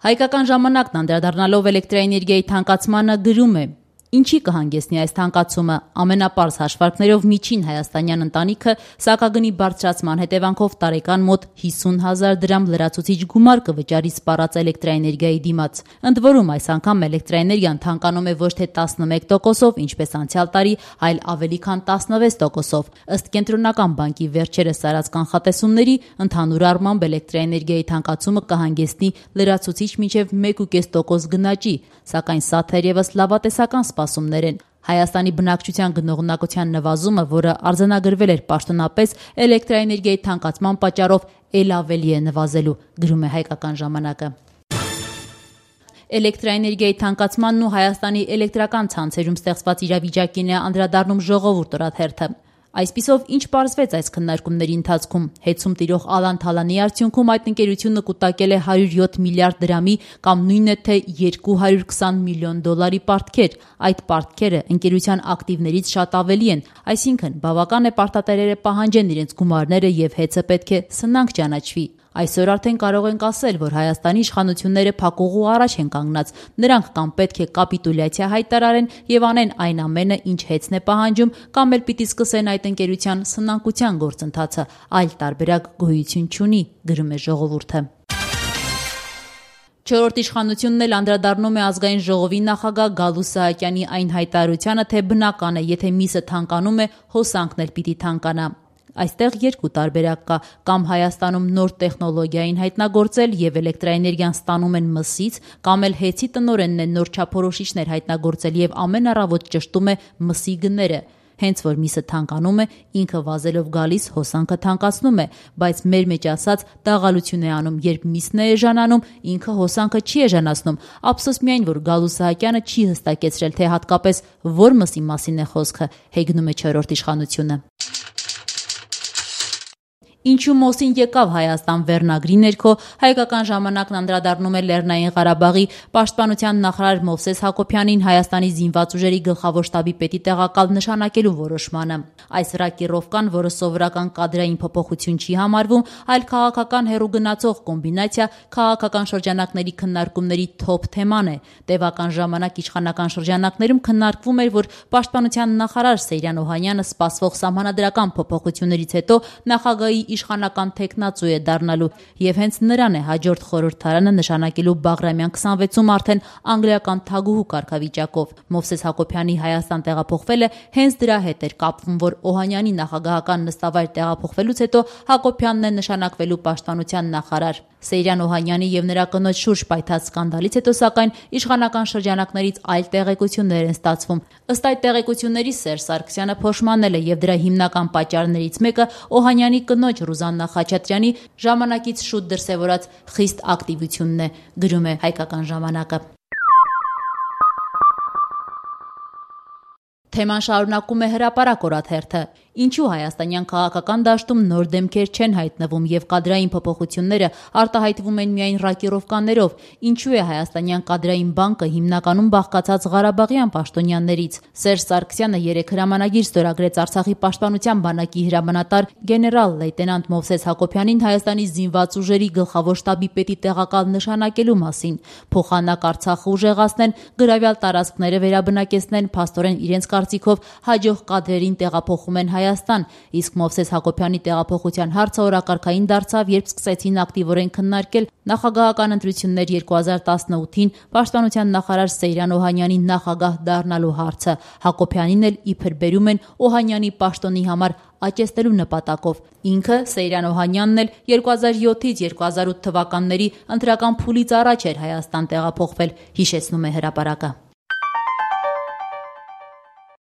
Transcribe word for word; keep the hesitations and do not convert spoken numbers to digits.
Հայկական ժամանակն անդրադառնալով էլեկտրաէներգիայի թանկացմանը գրում է. Ինչի կհանգեցնի այս թանկացումը, ամենապարզ հաշվարկներով միջին հայաստանյան ընտանիքը սակագնի բարձրացման հետևանքով տարեկան մոտ հիսուն հազար դրամ լրացուցիչ գումար կվճարի սպառած էլեկտրաէներգիայի դիմաց։ Ընդ որում այս անգամ էլեկտրաէներգիան թանկանում է ոչ թե տասնմեկ տոկոսով, ինչպես անցյալ տարի, այլ ավելի քան տասնվեց տոկոսով։ Ըստ Կենտրոնական բանկի վերջերս արած կանխատեսումների, ընդհանուր առմամբ էլեկտրաէներգիայի թանկացումը կհանգեցնի լրացուցիչ մինչև մեկ ու կես տոկոս գնաճի, սակայն սա թերևս լավատեսական սպասումներ են։ Հայաստանի բնակչության գնողունակության նվազումը, որը արձանագրվել էր պաշտոնապես էլեկտրաէներգիայի թանկացման պատճառով, էլ ավելի է նվազելու, գրում է Հայկական ժամանակը։ Էլեկտրաէներգիայի թանկացմանն ու Հայաստանի էլեկտրական ցանցերում ստեղծված իրավիճակին է անդրադառնում Ժողովուրդ օրաթերթը։ Այսպիսով, ինչ պարզվեց այս քննարկումների ընթացքում, հեծում տիրող Ալան Թալանի արդյունքում այդ ընկերությունը կուտակել է հարյուր յոթ միլիարդ դրամի կամ նույնն է թե երկու հարյուր քսան միլիոն դոլարի պարտքեր։ Այդ պարտքերը ընկերության ակտիվներից շատ ավելի են, այսինքն բավական է պարտատերերը պահանջեն իրենց գումարները եւ հեծը պետք է սնանկ ճանաչվի։ Այսօր արդեն կարող ենք ասել, որ Հայաստանի իշխանությունները փակուղու առաջ են կանգնած, նրանք կամ պետք է կապիտուլյացիա հայտարարեն եւ անեն այն ամենը, ինչ հեծն է պահանջում, կամ էլ պիտի սկսեն այդ ընկերության սնանկության գործընթացը, այլ տարբերակ գոյություն չունի, գրում է Ժողովուրդը։ Չորրորդ իշխանությունն էլ անդրադառնում է ազգային ժողովի նախագահ Գալու Սահակյանի այն հայտարարությանը, թե բնական է, եթե միսը թանկանում է, հոսանքն էլ պիտի թանկանա։ Այստեղ երկու տարբերակ կա, կամ Հայաստանում նոր տեխնոլոգիա են հայտնագործել եւ էլեկտրաէներգիան ստանում են մսից, կամ էլ հեծի տնօրենն է նոր չափորոշիչներ հայտնագործել եւ ամեն առավոտ ճշտում է մսի գները։ Հենց որ միսը թանկանում է, ինքը վազելով գալիս հոսանքը թանկացնում է, բայց մեր մեջ ասած դաղալություն է անում, երբ միսն է էժանանում, ինքը հոսանքը չի էժանացնում։ Ափսոս միայն, որ Գալու Սահակյանը չի հստակեցրել, թե հատկապես որ մսի մասին է խոսքը, հեգնում է չորրորդ իշխանությունը։ Ինչու Մոսին եկավ Հայաստան վերնագրի ներքո Հայկական ժամանակն անդրադառնում է Լեռնային Ղարաբաղի պաշտպանության նախարար Մովսես Հակոբյանին Հայաստանի զինված ուժերի գլխավոր շտաբի պետի տեղակալ նշանակելու որոշմանը։ Այս ռակիրովկան, որը սովորական կադրային փոփոխություն չի համարվում, այլ քաղաքական հեռու գնացող կոմբինացիա, քաղաքական շրջանակների քննարկումների թոփ թեման է։ Տևական ժամանակ իշխանական շրջանակներում քննարկվում էր, որ պաշտպանության նախարար Սեյրան Օհանյանը սպասվող սահմանադրական փոփոխություններից հետո նախագահի իշխանական թեկնածու է դառնալու եւ հենց նրան է հաջորդ խորհրդարանը նշանակելու Բաղրամյան քսանվեցում արդեն անգլիական թագուհու կարգավիճակով։ Մովսես Հակոբյանի Հայաստան տեղափոխվելը հենց դրա հետ էր կապվում, որ Օհանյանի նախագահական նստավայր տեղափոխվելուց հետո Հակոբյանն է նշանակվելու պաշտպանության նախարար։ Սեյրան Օհանյանի եւ նրա կնոջ շուրջ պայթած սկանդալից հետո սակայն իշխանական շրջանակներից այլ տեղեկություններ են ստացվում։ Ըստ այդ տեղեկությունների Սերժ Սարգսյանը փոշմանել է եւ դրա հիմնական պատճառներից մեկը Օհանյանի կնոջ Ռուզաննա Խաչատրյանի ժամանակից շուտ դրսևորած խիստ ակտիվությունն է, գրում է Հայկական ժամանակը։ Թեման շարունակում է Հրապարակ օրաթերթը։ Ինչու հայաստանյան քաղաքական դաշտում նոր դեմքեր չեն հայտնվում եւ կադրային փոփոխությունները արտահայտվում են միայն ռակիրովկաներով։ Ինչու է հայաստանյան կադրային բանկը հիմնականում բաղկացած ղարաբաղյան պաշտոնյաներից։ Սերժ Սարգսյանը երեկ հրամանագիր ստորագրեց Արցախի պաշտպանության բանակի հրամանատար գեներալ լեյտենանտ Մովսես Հակոբյանին Հայաստանի զինված ուժերի գլխավոր շտաբի պետի տեղակալ նշանակելու մասին։ Փոխանակ Արցախը ուժեղացնեն, գրավյալ տարածքները վերաբնակեցնեն, փաստորեն իրենց կարծիքով հաջող կադրերին տեղափոխում են Հայաստան, իսկ Մովսես Հակոբյանի տեղափոխության հարցը օրակարգային դարձավ, երբ սկսեցին ակտիվորեն քննարկել նախագահական ընտրություններ երկու հազար տասնութին պաշտպանության նախարար Սեյրան Օհանյանի նախագահ դառնալու հարցը։ Հակոբյանին էլ իբր բերում են Օհանյանի պաշտոնի համար աճեցնելու նպատակով։ Ինքը Սեյրան Օհանյանն էլ երկու հազար յոթից երկու հազար ութ թվականների ընտրական փուլից առաջ էր Հայաստան տեղափոխվել, հիշեցնում է Հրապարակը։